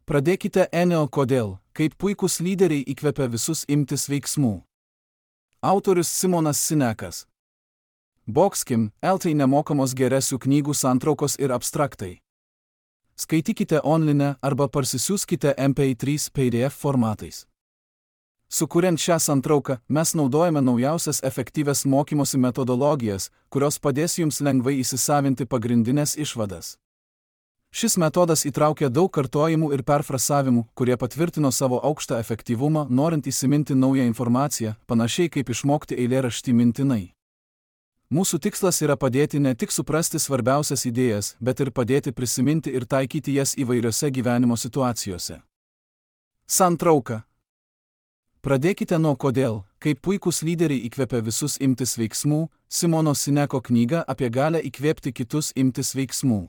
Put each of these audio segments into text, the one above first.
Pradėkite Eneo kodėl, kaip puikūs lyderiai įkvepia visus imtis veiksmų. Autorius Simonas Sinekas. Boxkim, LT nemokamos geresių knygų santraukos ir abstraktai. Skaitykite online arba parsisiųskite MP3 PDF formatais. Sukuriant šią santrauką, mes naudojame naujausias efektyvias mokymosi metodologijas, kurios padės jums lengvai įsisavinti pagrindinės išvadas. Šis metodas įtraukia daug kartojimų ir perfrasavimų, kurie patvirtino savo aukštą efektyvumą, norint įsiminti naują informaciją, panašiai kaip išmokti eilėraštį mintinai. Mūsų tikslas yra padėti ne tik suprasti svarbiausias idėjas, bet ir padėti prisiminti ir taikyti jas įvairiose gyvenimo situacijose. Santrauka. Pradėkite nuo kodėl, kaip puikūs lyderiai įkvepia visus imtis veiksmų, Simono Sineko knyga apie galią įkvėpti kitus imtis veiksmų.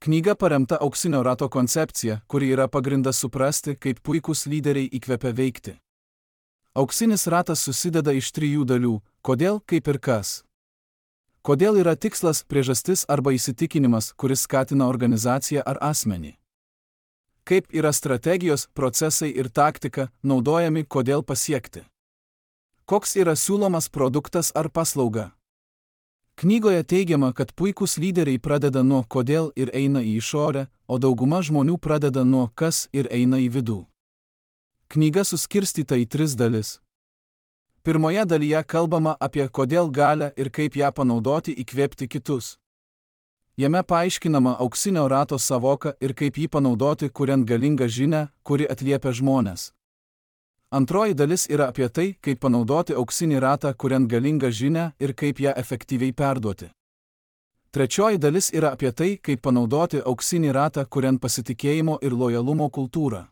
Knyga paremta auksinio rato koncepcija, kuri yra pagrindas suprasti, kaip puikūs lyderiai įkvepia veikti. Auksinis ratas susideda iš 3 dalių – kodėl, kaip ir kas. Kodėl yra tikslas, priežastis arba įsitikinimas, kuris skatina organizaciją ar asmenį. Kaip yra strategijos, procesai ir taktika, naudojami kodėl pasiekti. Koks yra siūlomas produktas ar paslauga. Knygoje teigiama, kad puikūs lyderiai pradeda nuo kodėl ir eina į išorę, o dauguma žmonių pradeda nuo kas ir eina į vidų. Knyga suskirstyta į 3 dalis. Pirmoje dalyje kalbama apie kodėl galią ir kaip ją panaudoti įkvėpti kitus. Jame paaiškinama auksinio rato savoka ir kaip jį panaudoti, kuriant galingą žinią, kuri atliepia žmones. Antroji dalis yra apie tai, kaip panaudoti auksinį ratą, kuriant galingą žinią ir kaip ją efektyviai perduoti. Trečioji dalis yra apie tai, kaip panaudoti auksinį ratą, kuriant pasitikėjimo ir lojalumo kultūrą.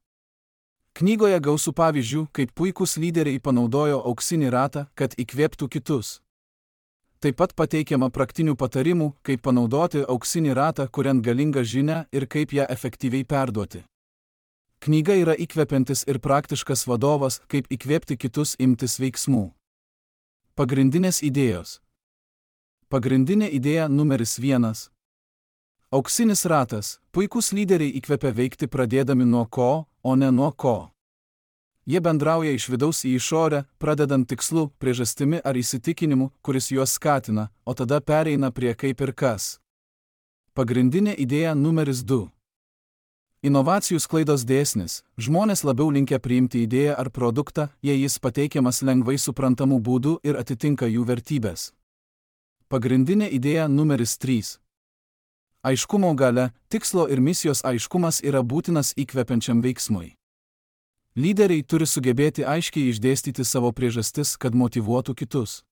Knygoje gausu pavyzdžių, kaip puikūs lyderiai panaudojo auksinį ratą, kad įkvėptų kitus. Taip pat pateikiama praktinių patarimų, kaip panaudoti auksinį ratą, kuriant galingą žinią ir kaip ją efektyviai perduoti. Knyga yra įkvepiantis ir praktiškas vadovas, kaip įkvėpti kitus imtis veiksmų. Pagrindinės idėjos. Pagrindinė idėja numeris 1. Auksinis ratas. Puikūs lyderiai įkvepia veikti pradėdami nuo ko, o ne nuo ko. Jie bendrauja iš vidaus į išorę, pradedant tikslu, priežastimi ar įsitikinimu, kuris juos skatina, o tada pereina prie kaip ir kas. Pagrindinė idėja numeris 2. Inovacijų sklaidos dėsnis. Žmonės labiau linkę priimti idėją ar produktą, jei jis pateikiamas lengvai suprantamų būdų ir atitinka jų vertybės. Pagrindinė idėja numeris 3. Aiškumo galia. Tikslo ir misijos aiškumas yra būtinas įkvepiančiam veiksmui. Lyderiai turi sugebėti aiškiai išdėstyti savo priežastis, kad motyvuotų kitus.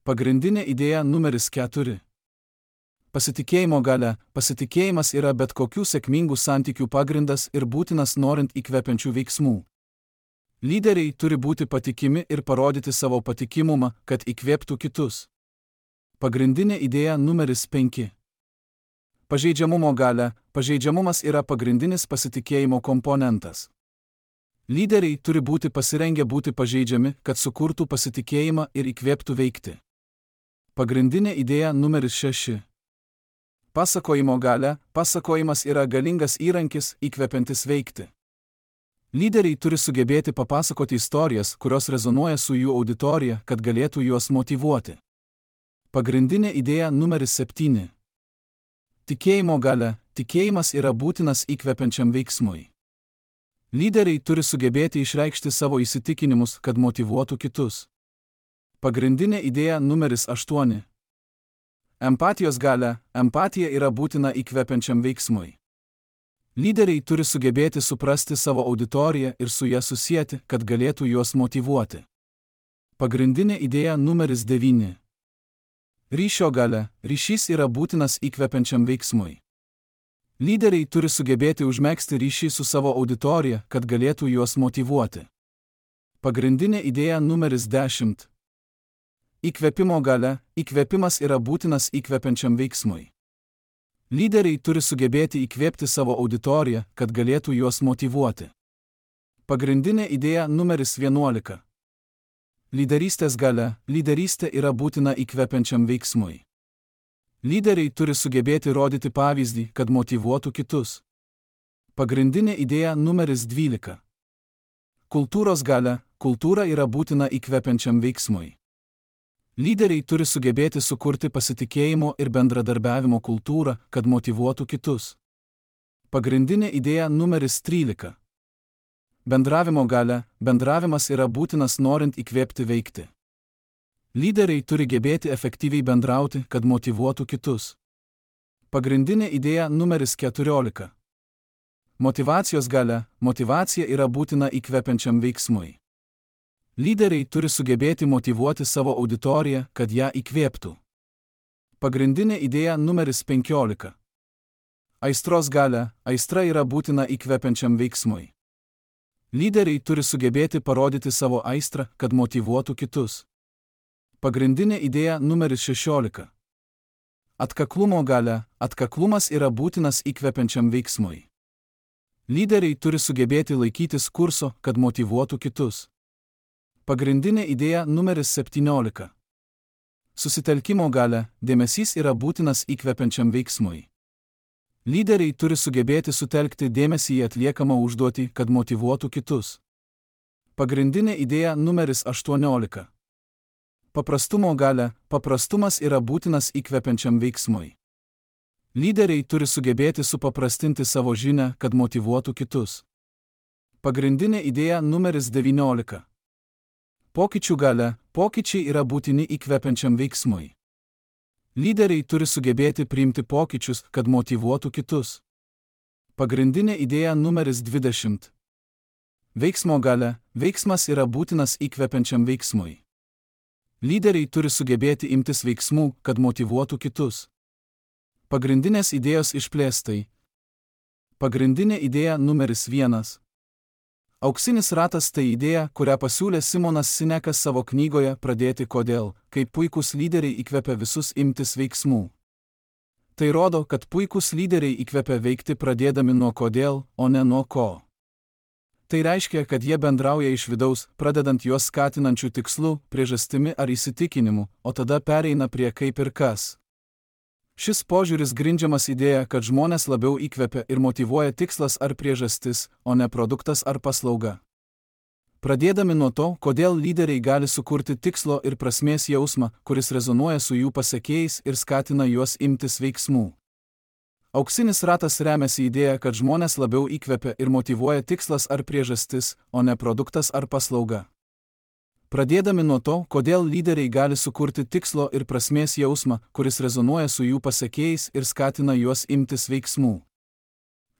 Pagrindinė idėja numeris 4. Pasitikėjimo galia. Pasitikėjimas yra bet kokių sėkmingų santykių pagrindas ir būtinas norint įkvepiančių veiksmų. Lyderiai turi būti patikimi ir parodyti savo patikimumą, kad įkvėptų kitus. Pagrindinė idėja numeris 5. Pažeidžiamumo galia. Pažeidžiamumas yra pagrindinis pasitikėjimo komponentas. Lyderiai turi būti pasirengę būti pažeidžiami, kad sukurtų pasitikėjimą ir įkvėptų veikti. Pagrindinė idėja numeris 6. Pasakojimo galia. Pasakojimas yra galingas įrankis, įkvepiantis veikti. Lyderiai turi sugebėti papasakoti istorijas, kurios rezonuoja su jų auditorija, kad galėtų juos motyvuoti. Pagrindinė idėja numeris 7. Tikėjimo galia. Tikėjimas yra būtinas įkvepiančiam veiksmui. Lyderiai turi sugebėti išreikšti savo įsitikinimus, kad motyvuotų kitus. Pagrindinė idėja numeris 8. Empatijos galia. Empatija yra būtina įkvepiančiam veiksmui. Lyderiai turi sugebėti suprasti savo auditoriją ir su ją susieti, kad galėtų juos motyvuoti. Pagrindinė idėja numeris 9. Ryšio galia. Ryšys yra būtinas įkvepiančiam veiksmui. Lyderiai turi sugebėti užmegzti ryšį su savo auditorija, kad galėtų juos motyvuoti. Pagrindinė idėja numeris 10. Įkvėpimo galia. Įkvėpimas yra būtinas įkvepiančiam veiksmui. Lyderiai turi sugebėti įkvėpti savo auditoriją, kad galėtų juos motyvuoti. Pagrindinė idėja numeris 11. Lyderystės galia. Lyderystė yra būtina įkvepiančiam veiksmui. Lyderiai turi sugebėti rodyti pavyzdį, kad motyvuotų kitus. Pagrindinė idėja numeris 12. Kultūros galia. Kultūra yra būtina įkvepiančiam veiksmui. Lyderiai turi sugebėti sukurti pasitikėjimo ir bendradarbiavimo kultūrą, kad motyvuotų kitus. Pagrindinė idėja numeris 13. Bendravimo galia. Bendravimas yra būtinas norint įkvėpti veikti. Lyderiai turi gebėti efektyviai bendrauti, kad motyvuotų kitus. Pagrindinė idėja numeris 14. Motyvacijos galia. Motyvacija yra būtina įkvepiančiam veiksmui. Lyderiai turi sugebėti motyvuoti savo auditoriją, kad ją įkvėptų. Pagrindinė idėja numeris 15. Aistros galia. Aistra yra būtina įkvepiančiam veiksmui. Lyderiai turi sugebėti parodyti savo aistrą, kad motyvuotų kitus. Pagrindinė idėja numeris 16. Atkaklumo galia. Atkaklumas yra būtinas įkvepiančiam veiksmui. Lyderiai turi sugebėti laikytis kurso, kad motyvuotų kitus. Pagrindinė idėja numeris 17. Susitelkimo galia. Dėmesys yra būtinas įkvepiančiam veiksmui. Lyderiai turi sugebėti sutelkti dėmesį į atliekamą užduotį, kad motyvuotų kitus. Pagrindinė idėja numeris 18. Paprastumo galia. Paprastumas yra būtinas įkvepiančiam veiksmui. Lyderiai turi sugebėti supaprastinti savo žinią, kad motyvuotų kitus. Pagrindinė idėja numeris 19. Pokyčių galia. Pokyčiai yra būtini įkvepiančiam veiksmui. Lyderiai turi sugebėti priimti pokyčius, kad motyvuotų kitus. Pagrindinė idėja numeris 20. Veiksmo galia. Veiksmas yra būtinas įkvepiančiam veiksmui. Lyderiai turi sugebėti imtis veiksmų, kad motyvuotų kitus. Pagrindinės idėjos išplėstai. Pagrindinė idėja numeris 1. Auksinis ratas tai idėja, kurią pasiūlė Simonas Sinekas savo knygoje Pradėti kodėl, kaip puikūs lyderiai įkvepia visus imtis veiksmų. Tai rodo, kad puikūs lyderiai įkvepia veikti pradėdami nuo kodėl, o ne nuo ko. Tai reiškia, kad jie bendrauja iš vidaus, pradedant juos skatinančių tikslų, priežastimi ar įsitikinimu, o tada pereina prie kaip ir kas. Šis požiūris grindžiamas idėja, kad žmonės labiau įkvepia ir motyvuoja tikslas ar priežastis, o ne produktas ar paslauga. Pradėdami nuo to, kodėl lyderiai gali sukurti tikslo ir prasmės jausmą, kuris rezonuoja su jų pasekėjais ir skatina juos imtis veiksmų. Auksinis ratas remiasi idėja, kad žmonės labiau įkvepia ir motyvuoja tikslas ar priežastis, o ne produktas ar paslauga. Pradėdami nuo to, kodėl lyderiai gali sukurti tikslo ir prasmės jausmą, kuris rezonuoja su jų pasekėjais ir skatina juos imtis veiksmų.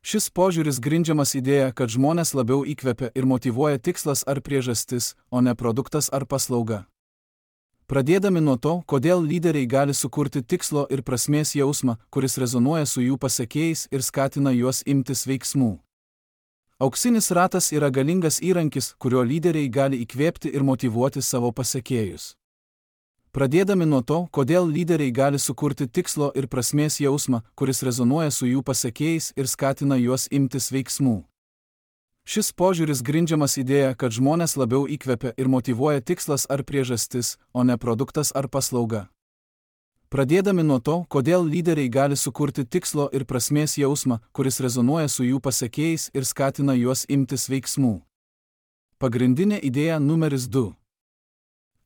Šis požiūris grindžiamas idėja, kad žmonės labiau įkvepia ir motyvuoja tikslas ar priežastis, o ne produktas ar paslauga. Pradėdami nuo to, kodėl lyderiai gali sukurti tikslo ir prasmės jausmą, kuris rezonuoja su jų pasekėjais ir skatina juos imtis veiksmų. Auksinis ratas yra galingas įrankis, kuriuo lyderiai gali įkvėpti ir motyvuoti savo pasekėjus. Pradėdami nuo to, kodėl lyderiai gali sukurti tikslo ir prasmės jausmą, kuris rezonuoja su jų pasekėjais ir skatina juos imtis veiksmų. Šis požiūris grindžiamas idėja, kad žmonės labiau įkvepia ir motyvuoja tikslas ar priežastis, o ne produktas ar paslauga. Pradėdami nuo to, kodėl lyderiai gali sukurti tikslo ir prasmės jausmą, kuris rezonuoja su jų pasekėjais ir skatina juos imtis veiksmų. Pagrindinė idėja numeris 2.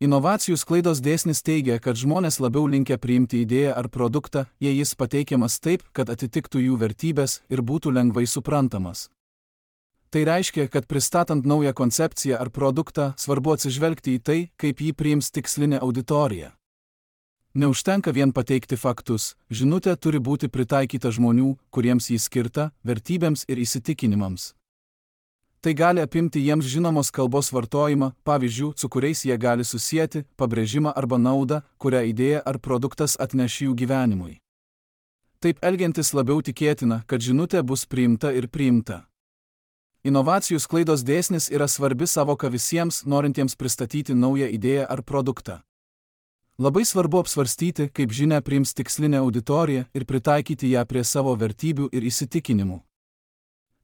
Inovacijų sklaidos dėsnis teigia, kad žmonės labiau linkę priimti idėją ar produktą, jei jis pateikiamas taip, kad atitiktų jų vertybės ir būtų lengvai suprantamas. Tai reiškia, kad pristatant naują koncepciją ar produktą, svarbu atsižvelgti į tai, kaip jį priims tikslinė auditorija. Neužtenka vien pateikti faktus, žinutė turi būti pritaikyta žmonių, kuriems jį skirta, vertybėms ir įsitikinimams. Tai gali apimti jiems žinomos kalbos vartojimą, pavyzdžių, su kuriais jie gali susieti, pabrėžimą arba naudą, kurią idėja ar produktas atneš jų gyvenimui. Taip elgiantis labiau tikėtina, kad žinutė bus priimta ir priimta. Inovacijų sklaidos dėsnis yra svarbi savoka visiems, norintiems pristatyti naują idėją ar produktą. Labai svarbu apsvarstyti, kaip žinią priims tikslinė auditorija ir pritaikyti ją prie savo vertybių ir įsitikinimų.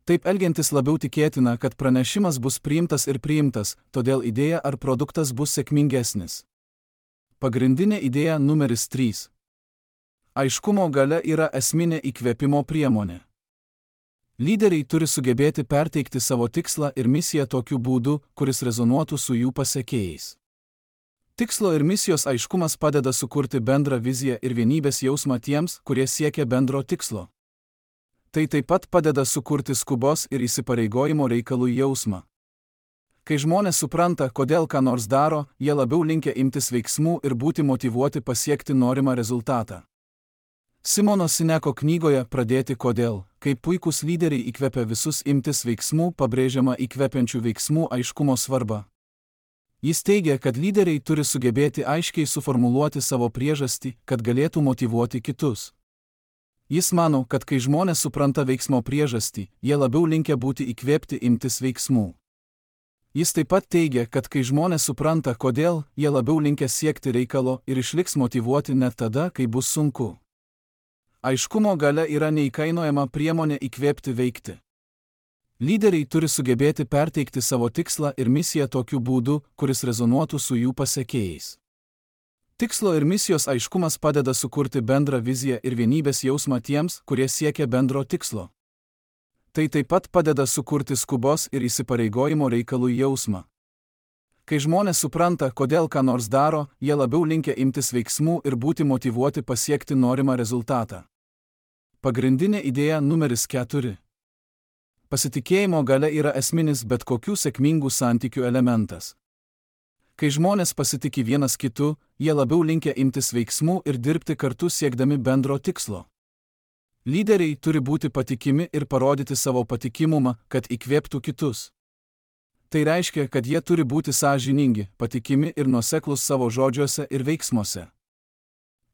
Taip elgiantis labiau tikėtina, kad pranešimas bus priimtas ir priimtas, todėl idėja ar produktas bus sėkmingesnis. Pagrindinė idėja numeris 3. Aiškumo galia yra esminė įkvėpimo priemonė. Lyderiai turi sugebėti perteikti savo tikslą ir misiją tokiu būdu, kuris rezonuotų su jų pasekėjais. Tikslo ir misijos aiškumas padeda sukurti bendrą viziją ir vienybės jausmą tiems, kurie siekia bendro tikslo. Tai taip pat padeda sukurti skubos ir įsipareigojimo reikalų jausmą. Kai žmonės supranta, kodėl ką nors daro, jie labiau linkę imtis veiksmų ir būti motyvuoti pasiekti norimą rezultatą. Simono Sineko knygoje Pradėti kodėl, kaip puikūs lyderiai įkvepia visus imtis veiksmų, pabrėžiama įkvepiančių veiksmų aiškumo svarba. Jis teigia, kad lyderiai turi sugebėti aiškiai suformuluoti savo priežastį, kad galėtų motyvuoti kitus. Jis mano, kad kai žmonės supranta veiksmo priežastį, jie labiau linkę būti įkvėpti imtis veiksmų. Jis taip pat teigia, kad kai žmonės supranta kodėl, jie labiau linkę siekti reikalo ir išliks motyvuoti net tada, kai bus sunku. Aiškumo galia yra neįkainojama priemonė įkvėpti veikti. Lyderiai turi sugebėti perteikti savo tikslą ir misiją tokiu būdu, kuris rezonuotų su jų pasekėjais. Tikslo ir misijos aiškumas padeda sukurti bendrą viziją ir vienybės jausmą tiems, kurie siekia bendro tikslo. Tai taip pat padeda sukurti skubos ir įsipareigojimo reikalų jausmą. Kai žmonės supranta, kodėl ką nors daro, jie labiau linkę imtis veiksmų ir būti motyvuoti pasiekti norimą rezultatą. Pagrindinė idėja numeris 4. Pasitikėjimo galia yra esminis bet kokių sėkmingų santykių elementas. Kai žmonės pasitiki vienas kitu, jie labiau linkę imtis veiksmų ir dirbti kartu siekdami bendro tikslo. Lyderiai turi būti patikimi ir parodyti savo patikimumą, kad įkvėptų kitus. Tai reiškia, kad jie turi būti sąžiningi, patikimi ir nuoseklūs savo žodžiuose ir veiksmuose.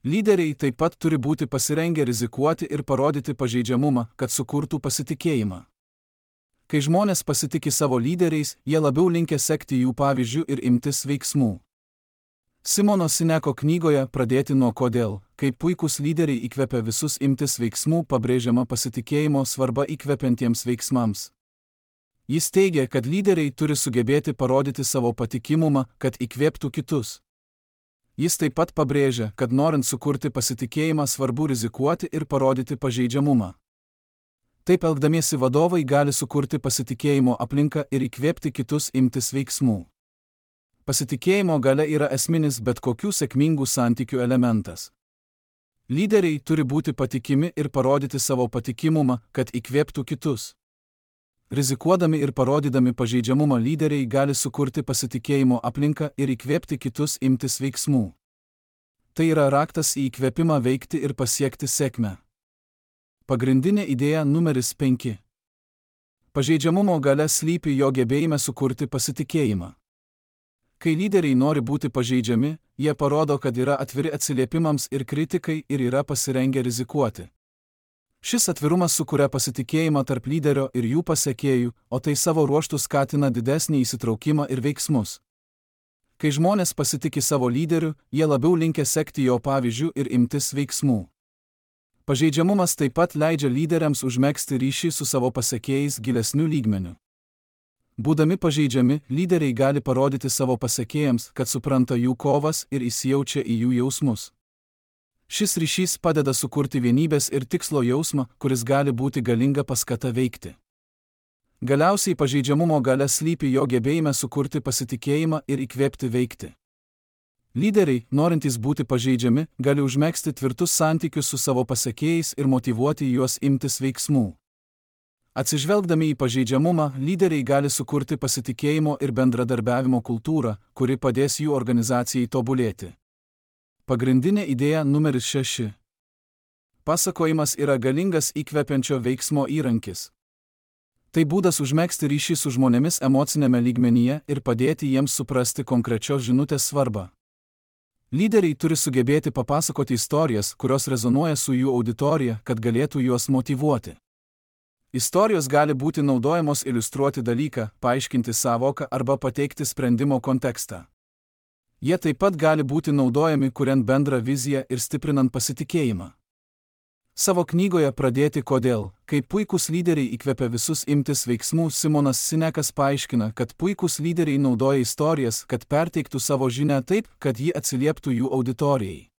Lyderiai taip pat turi būti pasirengę rizikuoti ir parodyti pažeidžiamumą, kad sukurtų pasitikėjimą. Kai žmonės pasitiki savo lyderiais, jie labiau linkę sekti jų pavyzdžių ir imtis veiksmų. Simono Sineko knygoje Pradėti nuo kodėl, kaip puikūs lyderiai įkvepia visus imtis veiksmų, pabrėžiama pasitikėjimo svarba įkvepiantiems veiksmams. Jis teigia, kad lyderiai turi sugebėti parodyti savo patikimumą, kad įkvėptų kitus. Jis taip pat pabrėžia, kad norint sukurti pasitikėjimą svarbu rizikuoti ir parodyti pažeidžiamumą. Taip elgdamiesi vadovai gali sukurti pasitikėjimo aplinką ir įkvėpti kitus imtis veiksmų. Pasitikėjimo galia yra esminis bet kokių sėkmingų santykių elementas. Lyderiai turi būti patikimi ir parodyti savo patikimumą, kad įkvėptų kitus. Rizikuodami ir parodydami pažeidžiamumą lyderiai gali sukurti pasitikėjimo aplinką ir įkvėpti kitus imtis veiksmų. Tai yra raktas į įkvėpimą veikti ir pasiekti sėkmę. Pagrindinė idėja numeris 5. Pažeidžiamumo galia slypi jo gebėjime sukurti pasitikėjimą. Kai lyderiai nori būti pažeidžiami, jie parodo, kad yra atviri atsiliepimams ir kritikai ir yra pasirengę rizikuoti. Šis atvirumas sukuria pasitikėjimą tarp lyderio ir jų pasekėjų, o tai savo ruožtu skatina didesnį įsitraukimą ir veiksmus. Kai žmonės pasitiki savo lyderiu, jie labiau linkę sekti jo pavyzdžių ir imtis veiksmų. Pažeidžiamumas taip pat leidžia lyderiams užmegzti ryšį su savo pasekėjais gilesniu lygmeniu. Būdami pažeidžiami, lyderiai gali parodyti savo pasekėjams, kad supranta jų kovas ir įsijaučia į jų jausmus. Šis ryšys padeda sukurti vienybės ir tikslo jausmą, kuris gali būti galinga paskata veikti. Galiausiai pažeidžiamumo galia slypi jo gebėjime sukurti pasitikėjimą ir įkvėpti veikti. Lyderiai, norintys būti pažeidžiami, gali užmegzti tvirtus santykius su savo pasekėjais ir motyvuoti juos imtis veiksmų. Atsižvelgdami į pažeidžiamumą, lyderiai gali sukurti pasitikėjimo ir bendradarbiavimo kultūrą, kuri padės jų organizacijai tobulėti. Pagrindinė idėja numeris 6. Pasakojimas yra galingas įkvepiančio veiksmo įrankis. Tai būdas užmegzti ryšį su žmonėmis emocinėme lygmenyje ir padėti jiems suprasti konkrečios žinutės svarbą. Lyderiai turi sugebėti papasakoti istorijas, kurios rezonuoja su jų auditorija, kad galėtų juos motyvuoti. Istorijos gali būti naudojamos iliustruoti dalyką, paaiškinti sąvoką arba pateikti sprendimo kontekstą. Jie taip pat gali būti naudojami kuriant bendrą viziją ir stiprinant pasitikėjimą. Savo knygoje Pradėti kodėl, kaip puikūs lyderiai įkvepia visus imtis veiksmų, Simonas Sinekas paaiškina, kad puikūs lyderiai naudoja istorijas, kad perteiktų savo žinią taip, kad ji atsilieptų jų auditorijai.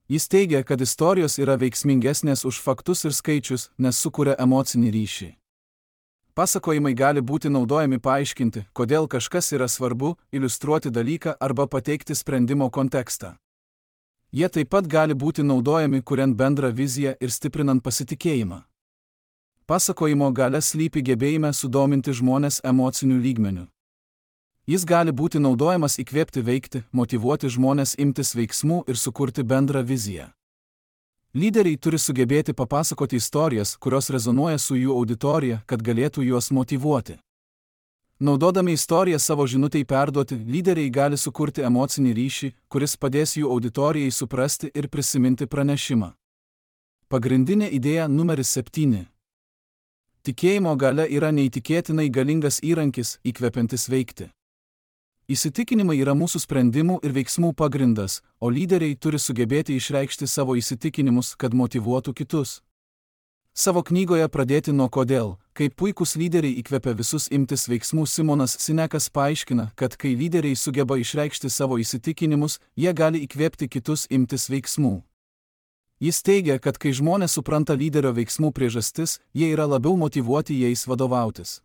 Jis teigia, kad istorijos yra veiksmingesnės už faktus ir skaičius, nes sukuria emocinį ryšį. Pasakojimai gali būti naudojami paaiškinti, kodėl kažkas yra svarbu, iliustruoti dalyką arba pateikti sprendimo kontekstą. Jie taip pat gali būti naudojami kuriant bendrą viziją ir stiprinant pasitikėjimą. Pasakojimo galia slypi gebėjime sudominti žmones emociniu lygmeniu. Jis gali būti naudojamas įkvėpti veikti, motyvuoti žmones imtis veiksmų ir sukurti bendrą viziją. Lyderiai turi sugebėti papasakoti istorijas, kurios rezonuoja su jų auditorija, kad galėtų juos motyvuoti. Naudodami istoriją savo žinutei perduoti, lyderiai gali sukurti emocinį ryšį, kuris padės jų auditorijai suprasti ir prisiminti pranešimą. Pagrindinė idėja numeris 7. Tikėjimo galia yra neįtikėtinai galingas įrankis, įkvepiantis veikti. Įsitikinimai yra mūsų sprendimų ir veiksmų pagrindas, o lyderiai turi sugebėti išreikšti savo įsitikinimus, kad motyvuotų kitus. Savo knygoje Pradėti nuo kodėl, kaip puikūs lyderiai įkvepia visus imtis veiksmų, Simonas Sinekas paaiškina, kad kai lyderiai sugeba išreikšti savo įsitikinimus, jie gali įkvėpti kitus imtis veiksmų. Jis teigia, kad kai žmonės supranta lyderio veiksmų priežastis, jie yra labiau motyvuoti jais vadovautis.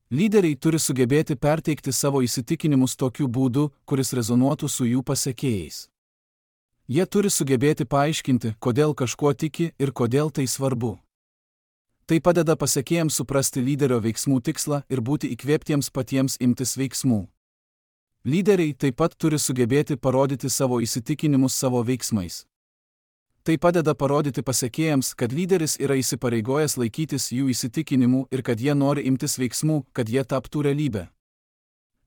Lyderiai turi sugebėti perteikti savo įsitikinimus tokiu būdu, kuris rezonuotų su jų pasekėjais. Jie turi sugebėti paaiškinti, kodėl kažkuo tiki ir kodėl tai svarbu. Tai padeda pasekėjams suprasti lyderio veiksmų tikslą ir būti įkvėptiems patiems imtis veiksmų. Lyderiai taip pat turi sugebėti parodyti savo įsitikinimus savo veiksmais. Tai padeda parodyti pasekėjams, kad lyderis yra įsipareigojęs laikytis jų įsitikinimų ir kad jie nori imtis veiksmų, kad jie taptų realybę.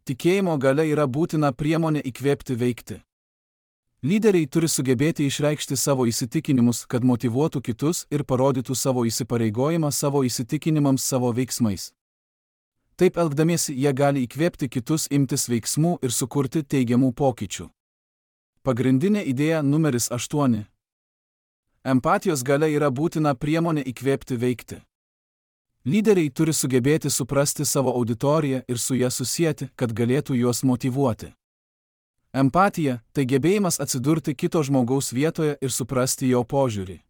Tikėjimo galia yra būtina priemonė įkvėpti veikti. Lyderiai turi sugebėti išreikšti savo įsitikinimus, kad motyvuotų kitus ir parodytų savo įsipareigojimą savo įsitikinimams savo veiksmais. Taip elgdamiesi jie gali įkvėpti kitus imtis veiksmų ir sukurti teigiamų pokyčių. Pagrindinė idėja numeris 8. Empatijos galia yra būtina priemonė įkvėpti veikti. Lyderiai turi sugebėti suprasti savo auditoriją ir su ją susieti, kad galėtų juos motyvuoti. Empatija – tai gebėjimas atsidurti kito žmogaus vietoje ir suprasti jo požiūrį.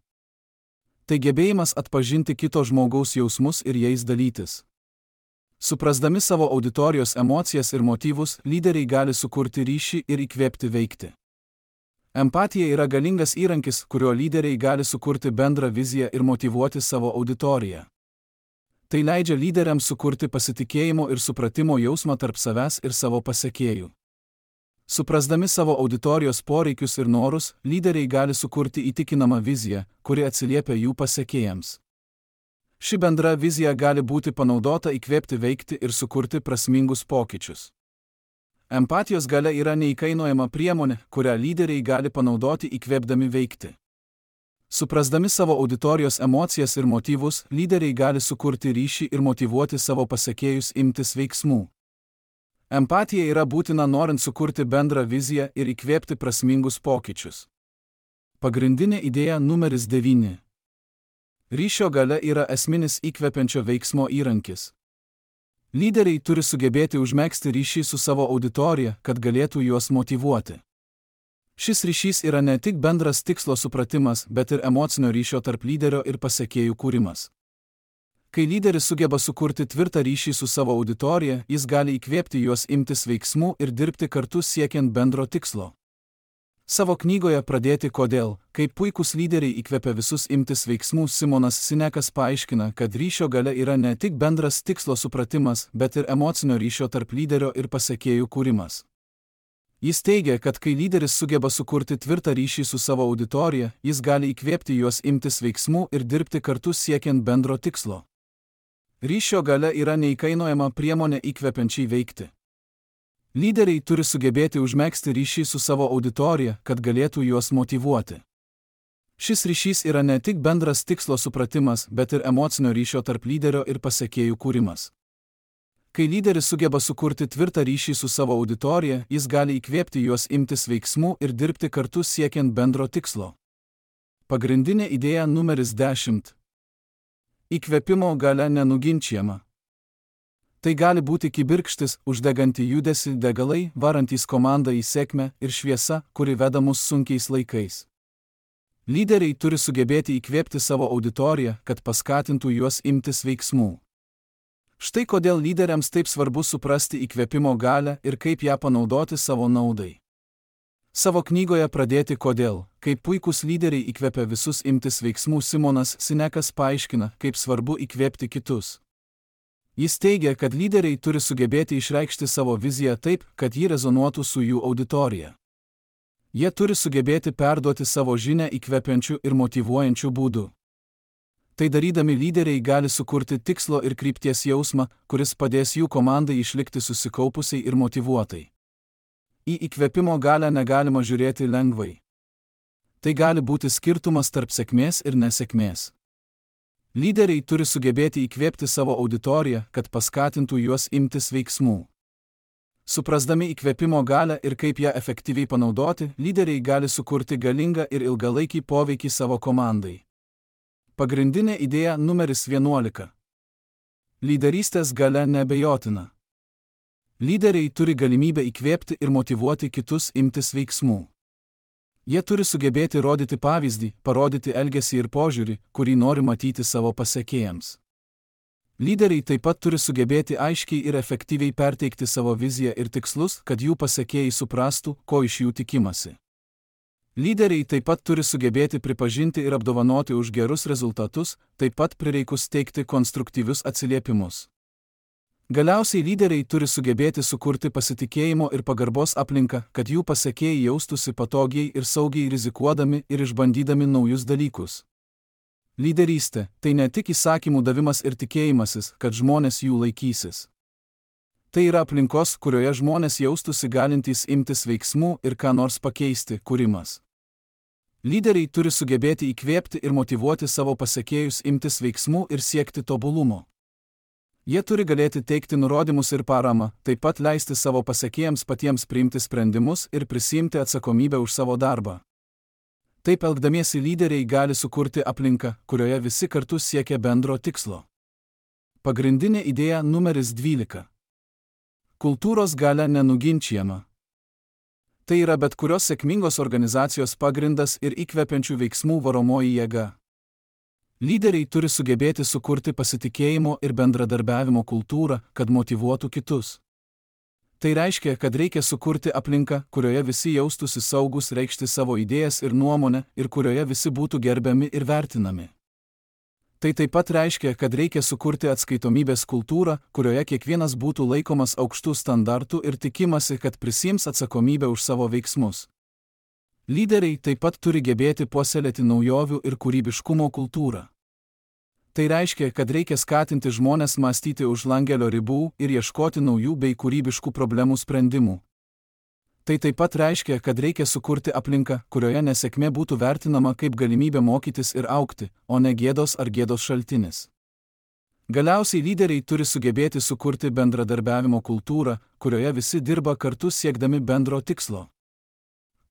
Tai gebėjimas atpažinti kito žmogaus jausmus ir jais dalytis. Suprasdami savo auditorijos emocijas ir motyvus, lyderiai gali sukurti ryšį ir įkvėpti veikti. Empatija yra galingas įrankis, kuriuo lyderiai gali sukurti bendrą viziją ir motyvuoti savo auditoriją. Tai leidžia lyderiams sukurti pasitikėjimo ir supratimo jausmą tarp savęs ir savo pasekėjų. Suprasdami savo auditorijos poreikius ir norus, lyderiai gali sukurti įtikinamą viziją, kuri atsiliepia jų pasekėjams. Ši bendra vizija gali būti panaudota įkvėpti veikti ir sukurti prasmingus pokyčius. Empatijos galia yra neįkainojama priemonė, kurią lyderiai gali panaudoti įkvėpdami veikti. Suprasdami savo auditorijos emocijas ir motyvus, lyderiai gali sukurti ryšį ir motyvuoti savo pasekėjus imtis veiksmų. Empatija yra būtina norint sukurti bendrą viziją ir įkvėpti prasmingus pokyčius. Pagrindinė idėja numeris 9. Ryšio galia yra esminis įkvepiančio veiksmo įrankis. Lyderiai turi sugebėti užmegzti ryšį su savo auditorija, kad galėtų juos motyvuoti. Šis ryšys yra ne tik bendras tikslo supratimas, bet ir emocinio ryšio tarp lyderio ir pasekėjų kūrimas. Kai lyderis sugeba sukurti tvirtą ryšį su savo auditorija, jis gali įkvėpti juos imtis veiksmų ir dirbti kartu siekiant bendro tikslo. Savo knygoje Pradėti kodėl, kaip puikūs lyderiai įkvepia visus imtis veiksmų, Simonas Sinekas paaiškina, kad ryšio galia yra ne tik bendras tikslo supratimas, bet ir emocinio ryšio tarp lyderio ir pasekėjų kūrimas. Jis teigia, kad kai lyderis sugeba sukurti tvirtą ryšį su savo auditorija, jis gali įkvėpti juos imtis veiksmų ir dirbti kartu siekiant bendro tikslo. Ryšio galia yra neįkainojama priemonė įkvepiančiai veikti. Lyderiai turi sugebėti užmegzti ryšį su savo auditorija, kad galėtų juos motyvuoti. Šis ryšys yra ne tik bendras tikslo supratimas, bet ir emocinio ryšio tarp lyderio ir pasekėjų kūrimas. Kai lyderis sugeba sukurti tvirtą ryšį su savo auditorija, jis gali įkvėpti juos imtis veiksmų ir dirbti kartu siekiant bendro tikslo. Pagrindinė idėja numeris 10. Įkvėpimo galia nenuginčiama. Tai gali būti kibirkštis, uždeganti judesį, degalai, varantys komandą į sėkmę ir šviesa, kuri veda mus sunkiais laikais. Lyderiai turi sugebėti įkvėpti savo auditoriją, kad paskatintų juos imtis veiksmų. Štai kodėl lyderiams taip svarbu suprasti įkvėpimo galią ir kaip ją panaudoti savo naudai. Savo knygoje Pradėti kodėl, kaip puikūs lyderiai įkvepia visus imtis veiksmų, Simonas Sinekas paaiškina, kaip svarbu įkvėpti kitus. Jis teigia, kad lyderiai turi sugebėti išreikšti savo viziją taip, kad ji rezonuotų su jų auditorija. Jie turi sugebėti perduoti savo žinią įkvepiančių ir motyvuojančių būdų. Tai darydami lyderiai gali sukurti tikslo ir krypties jausmą, kuris padės jų komandai išlikti susikaupusiai ir motyvuotai. Į įkvėpimo galią negalima žiūrėti lengvai. Tai gali būti skirtumas tarp sėkmės ir nesėkmės. Lyderiai turi sugebėti įkvėpti savo auditoriją, kad paskatintų juos imtis veiksmų. Suprasdami įkvėpimo galią ir kaip ją efektyviai panaudoti, lyderiai gali sukurti galingą ir ilgalaikį poveikį savo komandai. Pagrindinė idėja numeris 11. Lyderystės galia neabejotina. Lyderiai turi galimybę įkvėpti ir motyvuoti kitus imtis veiksmų. Jie turi sugebėti rodyti pavyzdį, parodyti elgesį ir požiūrį, kurį nori matyti savo pasekėjams. Lyderiai taip pat turi sugebėti aiškiai ir efektyviai perteikti savo viziją ir tikslus, kad jų pasekėjai suprastų, ko iš jų tikimasi. Lyderiai taip pat turi sugebėti pripažinti ir apdovanoti už gerus rezultatus, taip pat prireikus teikti konstruktyvius atsiliepimus. Galiausiai lyderiai turi sugebėti sukurti pasitikėjimo ir pagarbos aplinką, kad jų pasekėjai jaustųsi patogiai ir saugiai rizikuodami ir išbandydami naujus dalykus. Lyderystė – tai ne tik įsakymų davimas ir tikėjimasis, kad žmonės jų laikysis. Tai yra aplinkos, kurioje žmonės jaustųsi galintys imtis veiksmų ir ką nors pakeisti, kūrimas. Lyderiai turi sugebėti įkvėpti ir motyvuoti savo pasekėjus imtis veiksmų ir siekti tobulumo. Jie turi galėti teikti nurodymus ir paramą, taip pat leisti savo pasekėjams patiems priimti sprendimus ir prisiimti atsakomybę už savo darbą. Taip elgdamiesi lyderiai gali sukurti aplinką, kurioje visi kartu siekia bendro tikslo. Pagrindinė idėja numeris 12. Kultūros galia nenuginčijama. Tai yra bet kurios sėkmingos organizacijos pagrindas ir įkvepiančių veiksmų varomoji jėga. Lyderiai turi sugebėti sukurti pasitikėjimo ir bendradarbiavimo kultūrą, kad motyvuotų kitus. Tai reiškia, kad reikia sukurti aplinką, kurioje visi jaustųsi saugus reikšti savo idėjas ir nuomonę ir kurioje visi būtų gerbiami ir vertinami. Tai taip pat reiškia, kad reikia sukurti atskaitomybės kultūrą, kurioje kiekvienas būtų laikomas aukštų standartų ir tikimasi, kad prisiims atsakomybę už savo veiksmus. Lyderiai taip pat turi gebėti puoselėti naujovių ir kūrybiškumo kultūrą. Tai reiškia, kad reikia skatinti žmones mąstyti už langelio ribų ir ieškoti naujų bei kūrybiškų problemų sprendimų. Tai taip pat reiškia, kad reikia sukurti aplinką, kurioje nesėkmė būtų vertinama kaip galimybė mokytis ir augti, o ne gėdos ar gėdos šaltinis. Galiausiai lyderiai turi sugebėti sukurti bendradarbiavimo kultūrą, kurioje visi dirba kartu siekdami bendro tikslo.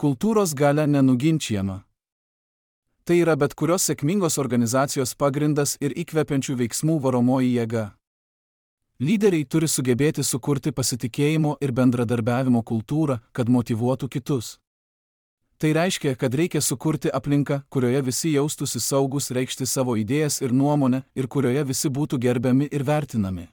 Kultūros galia nenuginčijama. Tai yra bet kurios sėkmingos organizacijos pagrindas ir įkvepiančių veiksmų varomoji jėga. Lyderiai turi sugebėti sukurti pasitikėjimo ir bendradarbiavimo kultūrą, kad motyvuotų kitus. Tai reiškia, kad reikia sukurti aplinką, kurioje visi jaustųsi saugus reikšti savo idėjas ir nuomonę ir kurioje visi būtų gerbiami ir vertinami.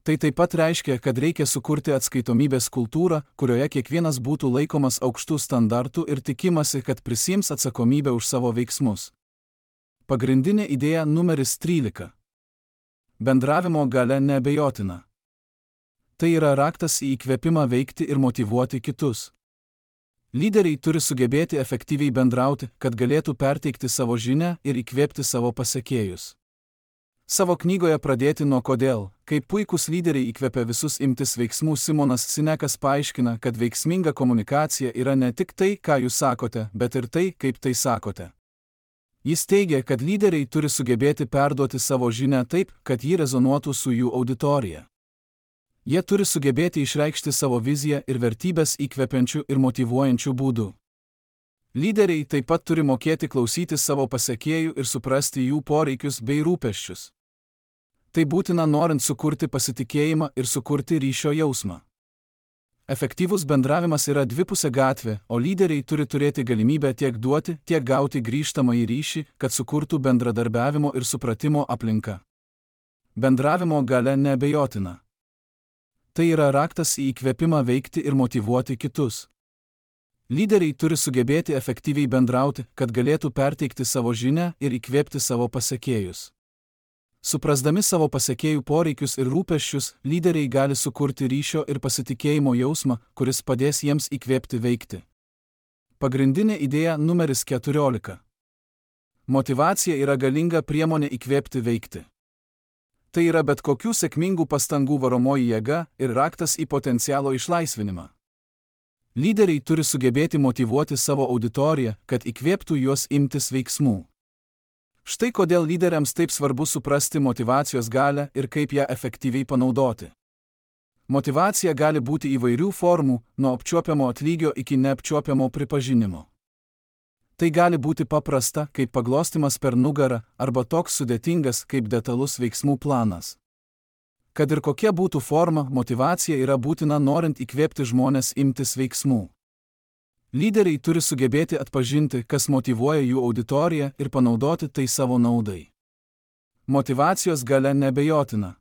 Tai taip pat reiškia, kad reikia sukurti atskaitomybės kultūrą, kurioje kiekvienas būtų laikomas aukštų standartų ir tikimasi, kad prisiims atsakomybę už savo veiksmus. Pagrindinė idėja numeris 13. Bendravimo galia neabejotina. Tai yra raktas į įkvėpimą veikti ir motyvuoti kitus. Lyderiai turi sugebėti efektyviai bendrauti, kad galėtų perteikti savo žinią ir įkvėpti savo pasekėjus. Savo knygoje Pradėti nuo kodėl, kaip puikūs lyderiai įkvepia visus imtis veiksmų, Simonas Sinekas paaiškina, kad veiksminga komunikacija yra ne tik tai, ką jūs sakote, bet ir tai, kaip tai sakote. Jis teigia, kad lyderiai turi sugebėti perduoti savo žinią taip, kad ji rezonuotų su jų auditorija. Jie turi sugebėti išreikšti savo viziją ir vertybės įkvepiančių ir motyvuojančių būdų. Lyderiai taip pat turi mokėti klausyti savo pasekėjų ir suprasti jų poreikius bei rūpesčius. Tai būtina norint sukurti pasitikėjimą ir sukurti ryšio jausmą. Efektyvus bendravimas yra dvipusė gatvė, o lyderiai turi turėti galimybę tiek duoti, tiek gauti grįžtamąjį ryšį, kad sukurtų bendradarbiavimo ir supratimo aplinką. Bendravimo galia neabejotina. Tai yra raktas į įkvėpimą veikti ir motyvuoti kitus. Lyderiai turi sugebėti efektyviai bendrauti, kad galėtų perteikti savo žinią ir įkvėpti savo pasekėjus. Suprasdami savo pasekėjų poreikius ir rūpesčius, lyderiai gali sukurti ryšio ir pasitikėjimo jausmą, kuris padės jiems įkvėpti veikti. Pagrindinė idėja numeris 14. Motyvacija yra galinga priemonė įkvėpti veikti. Tai yra bet kokių sėkmingų pastangų varomoji jėga ir raktas į potencialo išlaisvinimą. Lyderiai turi sugebėti motyvuoti savo auditoriją, kad įkvėptų juos imtis veiksmų. Štai kodėl lyderiams taip svarbu suprasti motyvacijos galią ir kaip ją efektyviai panaudoti. Motyvacija gali būti įvairių formų, nuo apčiuopiamo atlygio iki neapčiuopiamo pripažinimo. Tai gali būti paprasta, kaip paglostymas per nugarą, arba toks sudėtingas, kaip detalus veiksmų planas. Kad ir kokia būtų forma, motyvacija yra būtina norint įkvėpti žmones imtis veiksmų. Lyderiai turi sugebėti atpažinti, kas motyvuoja jų auditoriją ir panaudoti tai savo naudai. Motyvacijos galia neabejotina.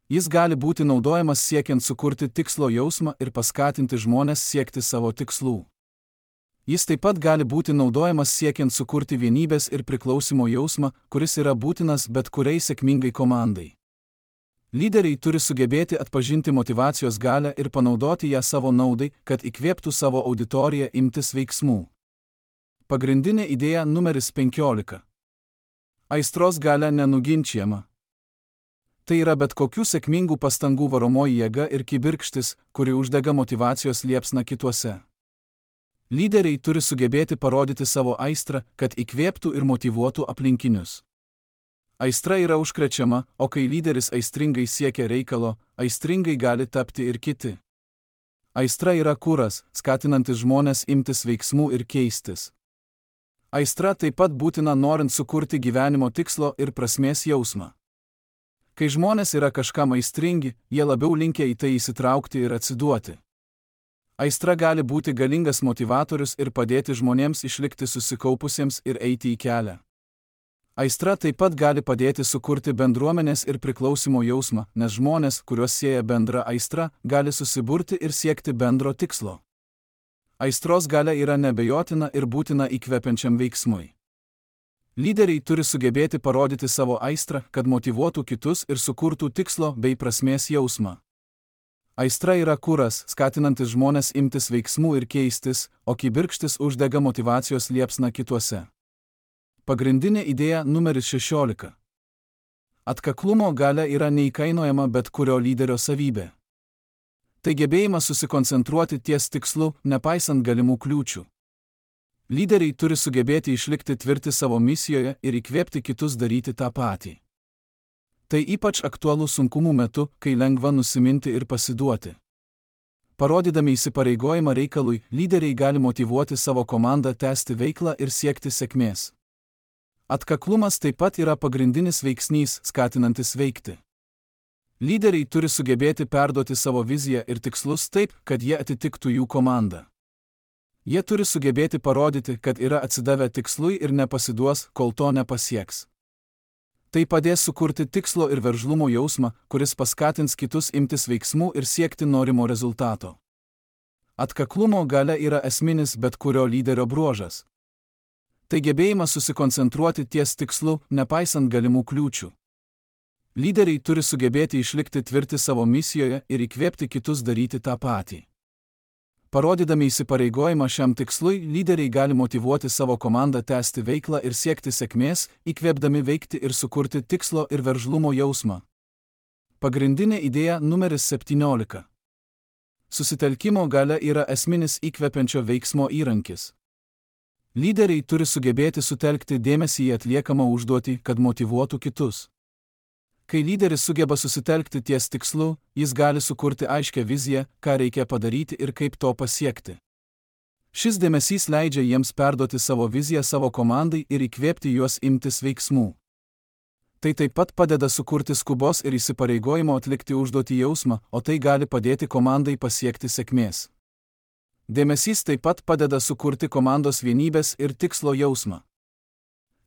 Jis gali būti naudojamas siekiant sukurti tikslo jausmą ir paskatinti žmones siekti savo tikslų. Jis taip pat gali būti naudojamas siekiant sukurti vienybės ir priklausimo jausmą, kuris yra būtinas bet kuriai sėkmingai komandai. Lyderiai turi sugebėti atpažinti motyvacijos galią ir panaudoti ją savo naudai, kad įkvėptų savo auditoriją imtis veiksmų. Pagrindinė idėja numeris 15. Aistros galia nenuginčiama. Tai yra bet kokių sėkmingų pastangų varomoji jėga ir kibirkštis, kuri uždega motyvacijos liepsną kituose. Lyderiai turi sugebėti parodyti savo aistrą, kad įkvėptų ir motyvuotų aplinkinius. Aistra yra užkrečiama, o kai lyderis aistringai siekia reikalo, aistringai gali tapti ir kiti. Aistra yra kuras, skatinantis žmones imtis veiksmų ir keistis. Aistra taip pat būtina norint sukurti gyvenimo tikslo ir prasmės jausmą. Kai žmonės yra kažkam aistringi, jie labiau linkę į tai įsitraukti ir atsiduoti. Aistra gali būti galingas motyvatorius ir padėti žmonėms išlikti susikaupusiems ir eiti į kelią. Aistra taip pat gali padėti sukurti bendruomenės ir priklausimo jausmą, nes žmonės, kuriuos sieja bendra aistra, gali susiburti ir siekti bendro tikslo. Aistros galia yra neabejotina ir būtina įkvepiančiam veiksmui. Lyderiai turi sugebėti parodyti savo aistrą, kad motyvuotų kitus ir sukurtų tikslo bei prasmės jausmą. Aistra yra kuras, skatinantis žmones imtis veiksmų ir keistis, o kibirkštis uždega motyvacijos liepsną kituose. Pagrindinė idėja numeris 16. Atkaklumo galia yra neįkainojama bet kurio lyderio savybė. Tai gebėjimas susikoncentruoti ties tikslu, nepaisant galimų kliūčių. Lyderiai turi sugebėti išlikti tvirti savo misijoje ir įkvėpti kitus daryti tą patį. Tai ypač aktualu sunkumų metu, kai lengva nusiminti ir pasiduoti. Parodydami įsipareigojimą reikalui, lyderiai gali motyvuoti savo komandą tęsti veiklą ir siekti sėkmės. Atkaklumas taip pat yra pagrindinis veiksnys, skatinantis veikti. Lyderiai turi sugebėti perduoti savo viziją ir tikslus taip, kad jie atitiktų jų komandą. Jie turi sugebėti parodyti, kad yra atsidavę tikslui ir nepasiduos, kol to nepasieks. Tai padės sukurti tikslo ir veržlumo jausmą, kuris paskatins kitus imtis veiksmų ir siekti norimo rezultato. Atkaklumo galia yra esminis bet kurio lyderio bruožas. Tai gebėjimas susikoncentruoti ties tikslu, nepaisant galimų kliūčių. Lyderiai turi sugebėti išlikti tvirti savo misijoje ir įkvėpti kitus daryti tą patį. Parodydami įsipareigojimą šiam tikslui, lyderiai gali motyvuoti savo komandą tęsti veiklą ir siekti sėkmės, įkvėpdami veikti ir sukurti tikslo ir veržlumo jausmą. Pagrindinė idėja numeris 17. Susitelkimo galia yra esminis įkvepiančio veiksmo įrankis. Lyderiai turi sugebėti sutelkti dėmesį į atliekamą užduotį, kad motyvuotų kitus. Kai lyderis sugeba susitelkti ties tikslu, jis gali sukurti aiškią viziją, ką reikia padaryti ir kaip to pasiekti. Šis dėmesys leidžia jiems perduoti savo viziją savo komandai ir įkvėpti juos imtis veiksmų. Tai taip pat padeda sukurti skubos ir įsipareigojimo atlikti užduotį jausmą, o tai gali padėti komandai pasiekti sėkmės. Dėmesys taip pat padeda sukurti komandos vienybės ir tikslo jausmą.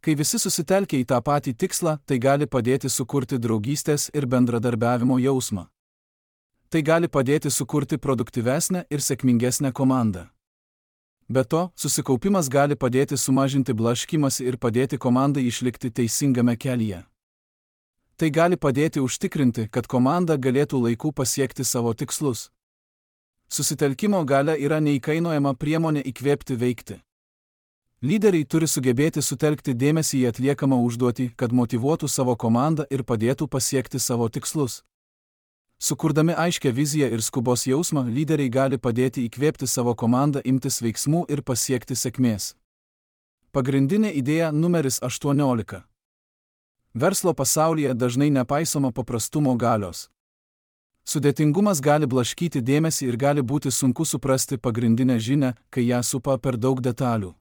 Kai visi susitelkia į tą patį tikslą, tai gali padėti sukurti draugystės ir bendradarbiavimo jausmą. Tai gali padėti sukurti produktyvesnę ir sėkmingesnę komandą. Be to, susikaupimas gali padėti sumažinti blaškymąsi ir padėti komandai išlikti teisingame kelyje. Tai gali padėti užtikrinti, kad komanda galėtų laiku pasiekti savo tikslus. Susitelkimo galia yra neįkainojama priemonė įkvėpti veikti. Lyderiai turi sugebėti sutelkti dėmesį į atliekamą užduotį, kad motyvuotų savo komandą ir padėtų pasiekti savo tikslus. Sukurdami aiškią viziją ir skubos jausmą, lyderiai gali padėti įkvėpti savo komandą imtis veiksmų ir pasiekti sėkmės. Pagrindinė idėja numeris 18. Verslo pasaulyje dažnai nepaisoma paprastumo galios. Sudėtingumas gali blaškyti dėmesį ir gali būti sunku suprasti pagrindinę žinią, kai ją supa per daug detalių.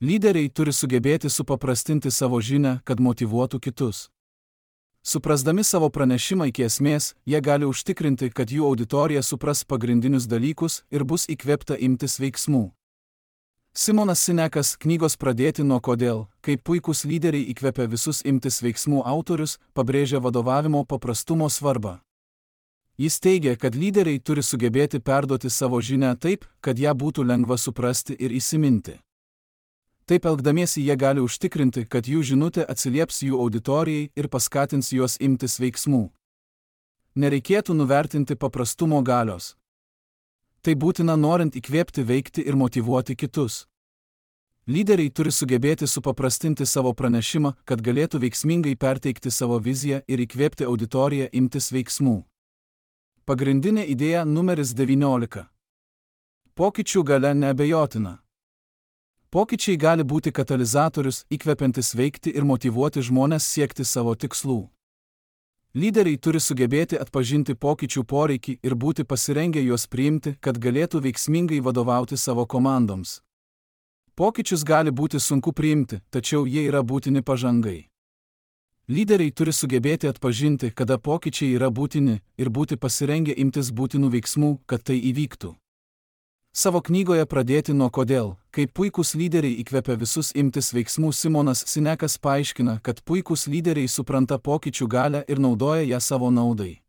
Lyderiai turi sugebėti supaprastinti savo žinią, kad motyvuotų kitus. Suprasdami savo pranešimą iki esmės, jie gali užtikrinti, kad jų auditorija supras pagrindinius dalykus ir bus įkvėpta imtis veiksmų. Simonas Sinekas knygos Pradėti nuo kodėl, kaip puikūs lyderiai įkvepia visus imtis veiksmų autorius, pabrėžia vadovavimo paprastumo svarbą. Jis teigia, kad lyderiai turi sugebėti perduoti savo žinią taip, kad ją būtų lengva suprasti ir įsiminti. Taip elgdamiesi jie gali užtikrinti, kad jų žinutė atsilieps jų auditorijai ir paskatins juos imtis veiksmų. Nereikėtų nuvertinti paprastumo galios. Tai būtina norint įkvėpti veikti ir motyvuoti kitus. Lyderiai turi sugebėti supaprastinti savo pranešimą, kad galėtų veiksmingai perteikti savo viziją ir įkvėpti auditoriją imtis veiksmų. Pagrindinė idėja numeris 19. Pokyčių galia neabejotina. Pokyčiai gali būti katalizatorius, įkvepiantis veikti ir motyvuoti žmones siekti savo tikslų. Lyderiai turi sugebėti atpažinti pokyčių poreikį ir būti pasirengę juos priimti, kad galėtų veiksmingai vadovauti savo komandoms. Pokyčius gali būti sunku priimti, tačiau jie yra būtini pažangai. Lyderiai turi sugebėti atpažinti, kada pokyčiai yra būtini ir būti pasirengę imtis būtinų veiksmų, kad tai įvyktų. Savo knygoje Pradėti nuo kodėl, kaip puikūs lyderiai įkvepia visus imtis veiksmų, Simonas Sinekas paaiškina, kad puikūs lyderiai supranta pokyčių galią ir naudoja ją savo naudai.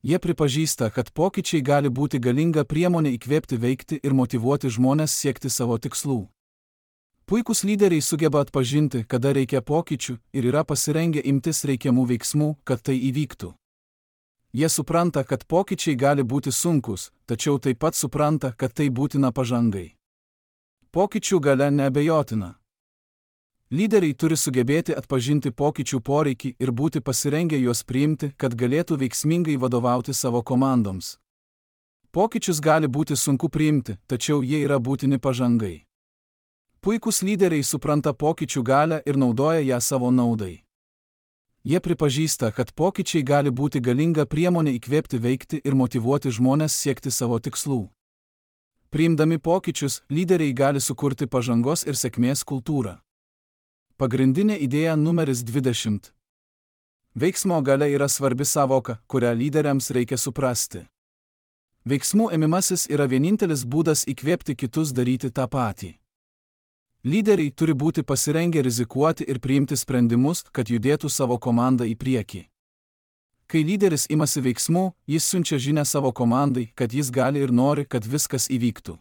Jie pripažįsta, kad pokyčiai gali būti galinga priemonė įkvėpti veikti ir motyvuoti žmones siekti savo tikslų. Puikūs lyderiai sugeba atpažinti, kada reikia pokyčių ir yra pasirengę imtis reikiamų veiksmų, kad tai įvyktų. Jie supranta, kad pokyčiai gali būti sunkus, tačiau taip pat supranta, kad tai būtina pažangai. Pokyčių galia neabejotina. Lyderiai turi sugebėti atpažinti pokyčių poreikį ir būti pasirengę juos priimti, kad galėtų veiksmingai vadovauti savo komandoms. Pokyčius gali būti sunku priimti, tačiau jie yra būtini pažangai. Puikūs lyderiai supranta pokyčių galią ir naudoja ją savo naudai. Jie pripažįsta, kad pokyčiai gali būti galinga priemonė įkvėpti veikti ir motyvuoti žmones siekti savo tikslų. Priimdami pokyčius, lyderiai gali sukurti pažangos ir sėkmės kultūrą. Pagrindinė idėja numeris 20. Veiksmo galia yra svarbi savoka, kurią lyderiams reikia suprasti. Veiksmų ėmimasis yra vienintelis būdas įkvėpti kitus daryti tą patį. Lyderiai turi būti pasirengę rizikuoti ir priimti sprendimus, kad judėtų savo komandą į priekį. Kai lyderis imasi veiksmų, jis siunčia žinią savo komandai, kad jis gali ir nori, kad viskas įvyktų.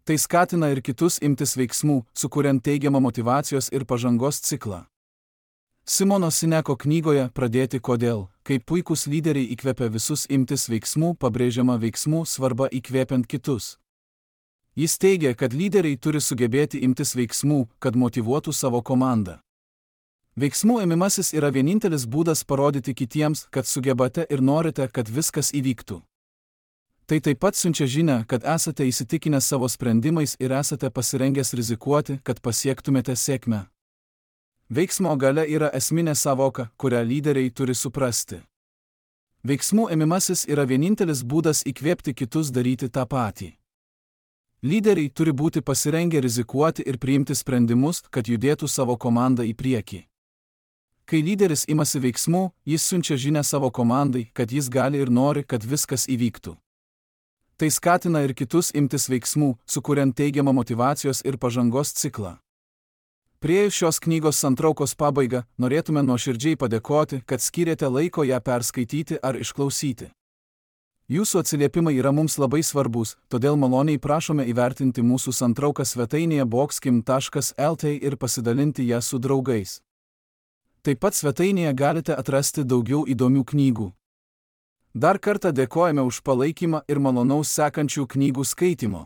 Tai skatina ir kitus imtis veiksmų, sukuriant teigiamą motyvacijos ir pažangos ciklą. Simono Sineko knygoje Pradėti kodėl, kaip puikūs lyderiai įkvepia visus imtis veiksmų, pabrėžiama veiksmų svarba įkvėpiant kitus. Jis teigia, kad lyderiai turi sugebėti imtis veiksmų, kad motyvuotų savo komandą. Veiksmų ėmimasis yra vienintelis būdas parodyti kitiems, kad sugebate ir norite, kad viskas įvyktų. Tai taip pat siunčia žinią, kad esate įsitikinę savo sprendimais ir esate pasirengęs rizikuoti, kad pasiektumėte sėkmę. Veiksmo galia yra esminė savoka, kurią lyderiai turi suprasti. Veiksmų ėmimasis yra vienintelis būdas įkvėpti kitus daryti tą patį. Lyderiai turi būti pasirengę rizikuoti ir priimti sprendimus, kad judėtų savo komandą į priekį. Kai lyderis imasi veiksmų, jis siunčia žinę savo komandai, kad jis gali ir nori, kad viskas įvyktų. Tai skatina ir kitus imtis veiksmų, sukuriant teigiamą motyvacijos ir pažangos ciklą. Priėjus šios knygos santraukos pabaigą, norėtume nuoširdžiai padėkoti, kad skyrėte laiko ją perskaityti ar išklausyti. Jūsų atsiliepimai yra mums labai svarbus, todėl maloniai prašome įvertinti mūsų santrauką svetainėje boxkim.lt ir pasidalinti ją su draugais. Taip pat svetainėje galite atrasti daugiau įdomių knygų. Dar kartą dėkojame už palaikymą ir malonaus sekančių knygų skaitimo.